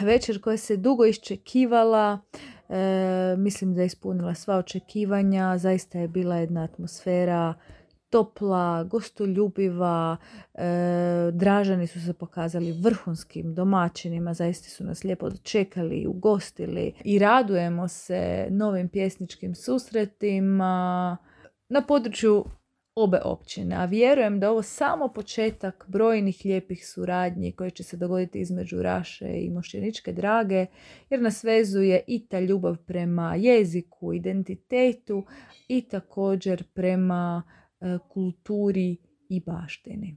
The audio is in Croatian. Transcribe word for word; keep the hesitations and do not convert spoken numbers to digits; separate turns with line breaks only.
Večer koja se dugo iščekivala, e, mislim da je ispunila sva očekivanja, zaista je bila jedna atmosfera topla, gostoljubiva, e, Dražani su se pokazali vrhunskim domaćinima, zaista su nas lijepo dočekali, ugostili i radujemo se novim pjesničkim susretima na području obe općine, a vjerujem da je ovo samo početak brojnih lijepih suradnji koje će se dogoditi između Raše i Mošćeničke Drage, jer nas vezuje i ta ljubav prema jeziku, identitetu i također prema e, kulturi i baštini.